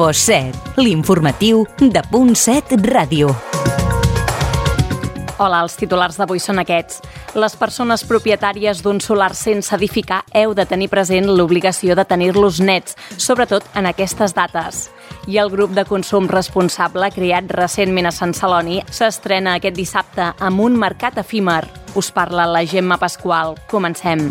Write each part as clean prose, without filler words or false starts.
Info7, l'informatiu de Punt 7 Ràdio. Hola, els titulars d'avui són aquests. Les persones propietàries d'un solar sense edificar heu de tenir present l'obligació de tenir-los nets, sobretot en aquestes dates. I el grup de consum responsable, creat recentment a Sant Celoni, s'estrena aquest dissabte amb un mercat efímer. Us parla la Gemma Pasqual. Comencem.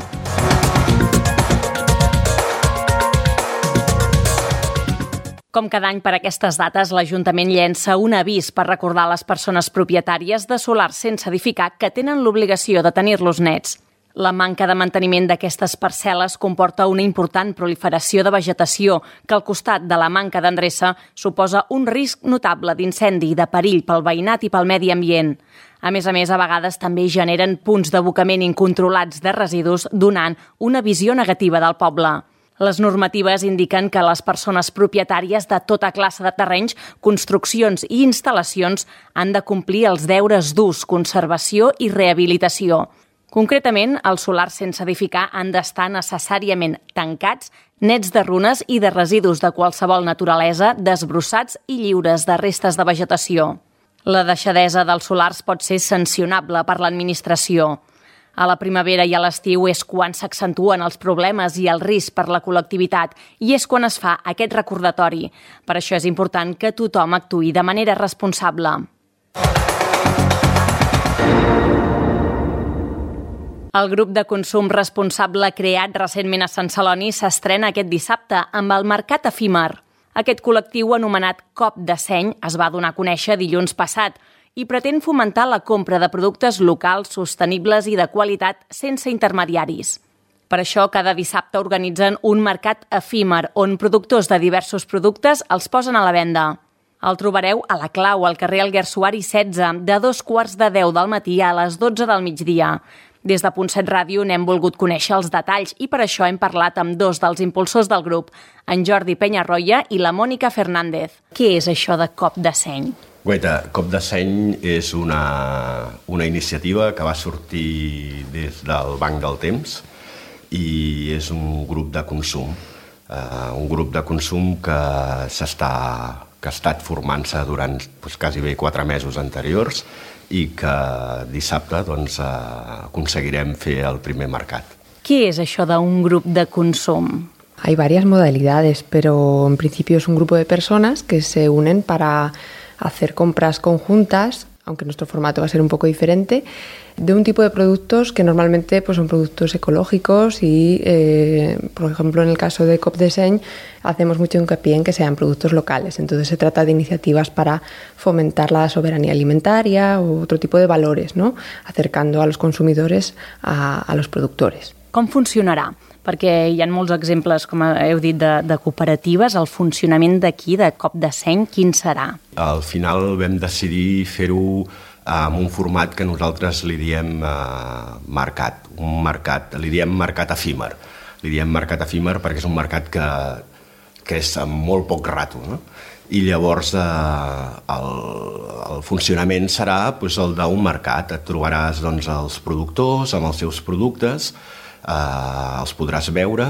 Com cada any per aquestes dates, l'Ajuntament llença un avís per recordar a les persones propietàries de solars sense edificar que tenen l'obligació de tenir-los nets. La manca de manteniment d'aquestes parcel·les comporta una important proliferació de vegetació que al costat de la manca d'endreça suposa un risc notable d'incendi i de perill pel veïnat i pel medi ambient. A més, a vegades també generen punts d'abocament incontrolats de residus, donant una visió negativa del poble. Les normatives indiquen que les persones propietàries de tota classe de terrenys, construccions i instal·lacions han de complir els deures d'ús, conservació i rehabilitació. Concretament, els solars sense edificar han d'estar necessàriament tancats, nets de runes i de residus de qualsevol naturalesa, desbrossats i lliures de restes de vegetació. La deixadesa dels solars pot ser sancionable per l'administració. A la primavera i a l'estiu és quan s'accentuen els problemes i el risc per la col·lectivitat i és quan es fa aquest recordatori. Per això és important que tothom actuï de manera responsable. El grup de consum responsable creat recentment a Sant Celoni s'estrena aquest dissabte amb el mercat efímer. Aquest col·lectiu anomenat Cop de Seny es va donar a conèixer dilluns passat i pretén fomentar la compra de productes locals, sostenibles i de qualitat sense intermediaris. Per això, cada dissabte organitzen un mercat efímer on productors de diversos productes els posen a la venda. El trobareu a la Clau, al carrer Alguersuari 16, de 9:45 del matí a les 12 del migdia. Des de Punt 7 Ràdio n'hem volgut conèixer els detalls i per això hem parlat amb dos dels impulsors del grup, en Jordi Peñarroya i la Mònica Fernández. Què és això de Cop de Seny? Guaita, Cop de Seny és una iniciativa que va sortir des del Banc del Temps i és un grup de consum. Un grup de consum que ha estat formant-se durant quasi bé 4 mesos anteriors i que dissabte aconseguirem fer el primer mercat. Què és això d'un grup de consum? Hay varias modalidades, pero en principio es un grupo de personas que se unen para hacer compras conjuntas, aunque nuestro formato va a ser un poco diferente, de un tipo de productos que normalmente son productos ecológicos y, por ejemplo, en el caso de Cop de Seny, hacemos mucho hincapié en que sean productos locales. Entonces se trata de iniciativas para fomentar la soberanía alimentaria o otro tipo de valores, ¿no? Acercando a los consumidores a los productores. Com funcionarà? Perquè hi ha molts exemples, com heu dit, de cooperatives. El funcionament d'aquí, de Cop de Seny, quin serà? Al final vam decidir fer-ho amb un format que nosaltres li diem mercat. Li diem mercat efímer. Li diem mercat efímer perquè és un mercat que és amb molt poc rato, no? I llavors el funcionament serà el d'un mercat. Et trobaràs els productors amb els seus productes, els podràs veure,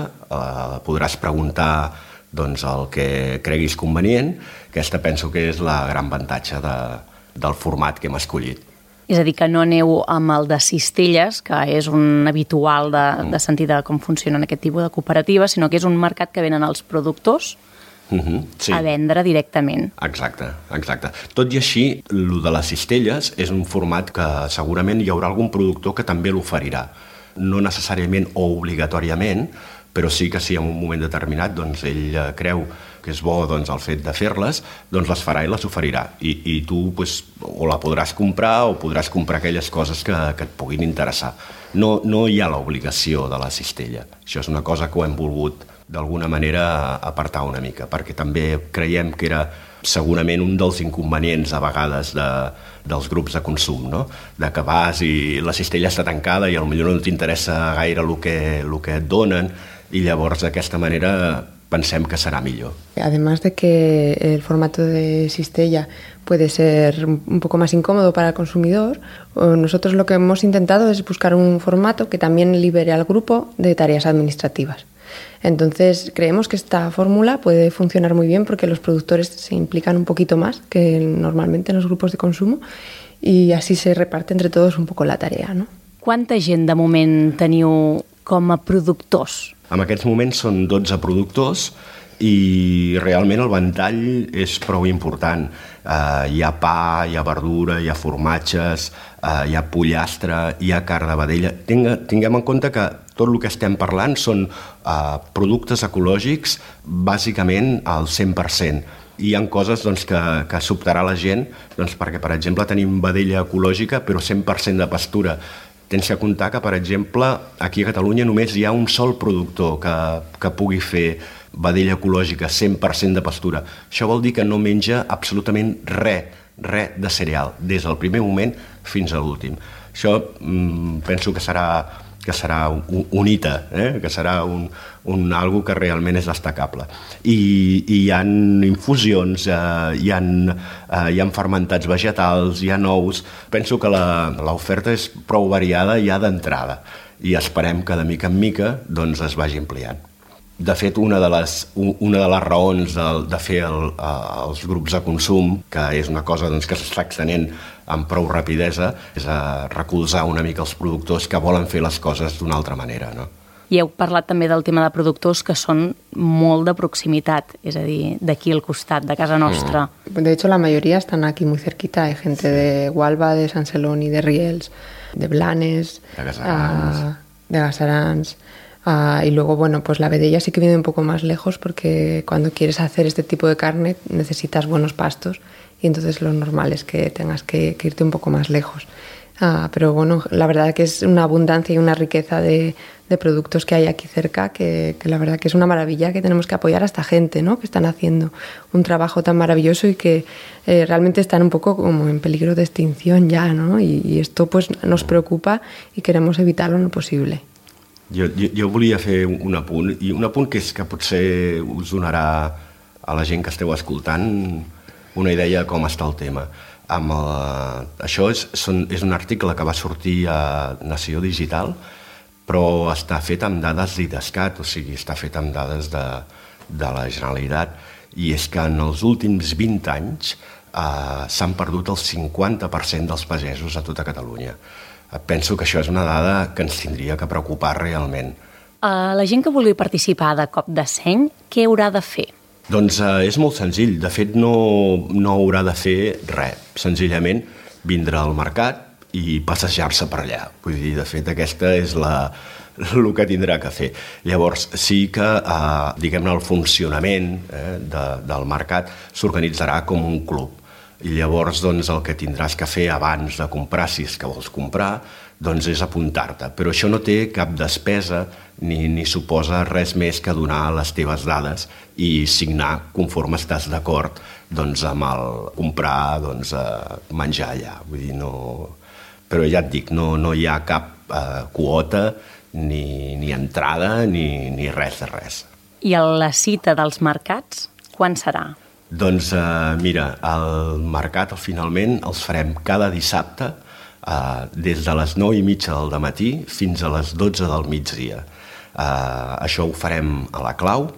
podràs preguntar el que creguis convenient. Aquesta penso que és la gran avantatge del format que hem escollit. És a dir, que no aneu amb el de cistelles, que és un habitual de sentir de com funcionen aquest tipus de cooperatives, sinó que és un mercat que venen els productors sí, a vendre directament. Exacte. Tot i així, el de les cistelles és un format que segurament hi haurà algun productor que també l'oferirà. No necessàriament o obligatòriament, però sí que en un moment determinat ell creu que és bo el fet de fer-les, les farà i les oferirà. I tu o la podràs comprar o podràs comprar aquelles coses que et puguin interessar. No hi ha l'obligació de la cistella. Això és una cosa que ho hem volgut d'alguna manera apartar una mica, perquè també creiem que era segurament un dels inconvenients a vegades dels grups de consum, no? De que vas i la cistella està tancada i potser no t'interessa gaire el que et donen i llavors d'aquesta manera pensem que serà millor. Además de que el formato de cistella puede ser un poco más incómodo para el consumidor, nosotros lo que hemos intentado es buscar un formato que también libere al grupo de tareas administrativas. Entonces creemos que esta fórmula puede funcionar muy bien porque los productores se implican un poquito más que normalmente en los grupos de consumo y así se reparte entre todos un poco la tarea, no? Quanta gent de moment teniu com a productors? En aquests moments són 12 productors i realment el ventall és prou important. Hi ha pa, hi ha verdura, hi ha formatges, hi ha pollastre, hi ha carn de vedella. Tinguem en compte que tot el que estem parlant són productes ecològics bàsicament al 100%. Hi ha coses que sobtarà la gent perquè, per exemple, tenim vedella ecològica però 100% de pastura. Tens que comptar que, per exemple, aquí a Catalunya només hi ha un sol productor que pugui fer vedella ecològica 100% de pastura. Això vol dir que no menja absolutament res de cereal, des del primer moment fins a l'últim. Això penso que serà un hito, que serà algo que realment és destacable. I hi ha infusions, hi ha fermentats vegetals, hi ha nous. Penso que l'oferta és prou variada ja d'entrada i esperem que de mica en mica es vagi ampliant. De fet, una de les raons de fer els grups de consum, que és una cosa que s'està extenent amb prou rapidesa, és recolzar una mica els productors que volen fer les coses d'una altra manera, no? I heu parlat també del tema de productors que són molt de proximitat, és a dir, d'aquí al costat, de casa nostra. De hecho, la mayoría están aquí muy cerquita. Hay gente de Hualva, de Sant Celoni, de Riells, de Blanes, de Gasarans. Y luego, bueno, pues la vedella sí que viene un poco más lejos porque cuando quieres hacer este tipo de carne necesitas buenos pastos y entonces lo normal es que tengas que irte un poco más lejos. Pero bueno, la verdad que es una abundancia y una riqueza de productos que hay aquí cerca que la verdad que es una maravilla, que tenemos que apoyar a esta gente, ¿no? Que están haciendo un trabajo tan maravilloso y que realmente están un poco como en peligro de extinción ya, ¿no? Y esto pues nos preocupa y queremos evitarlo en lo posible. Jo volia fer un apunt, i un apunt que és que potser us donarà a la gent que esteu escoltant una idea de com està el tema. Això és un article que va sortir a Nació Digital, però està fet amb dades d'IDESCAT, o sigui, està fet amb dades de la Generalitat, i és que en els últims 20 anys s'han perdut el 50% dels pagesos a tota Catalunya. Penso que això és una dada que ens tindria que preocupar realment. La gent que vulgui participar de Cop de Seny, què haurà de fer? Doncs és molt senzill. De fet, no haurà de fer res. Senzillament vindre al mercat i passejar-se per allà. Vull dir, de fet, aquesta és el que tindrà que fer. Llavors, sí que, diguem-ne, el funcionament del mercat s'organitzarà com un club. I llavors el que tindràs que fer abans de comprar, si és que vols comprar, és apuntar-te. Però això no té cap despesa ni suposa res més que donar les teves dades i signar conforme estàs d'acord amb el comprar, menjar allà. Vull dir, no... Però ja et dic, no hi ha cap quota, ni entrada, ni res de res. I la cita dels mercats, quan serà? Doncs mira, el mercat finalment els farem cada dissabte des de les 9:30 del dematí fins a les 12 del migdia. Això ho farem a la clau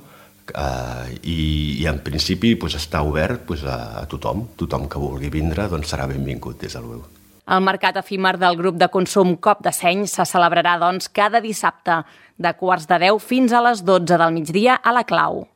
i en principi està obert a tothom. Tothom que vulgui vindre serà benvingut des de l'UEU. El mercat efímer del grup de consum Cop de Seny se celebrarà cada dissabte de 9:15 fins a les 12 del migdia a la clau.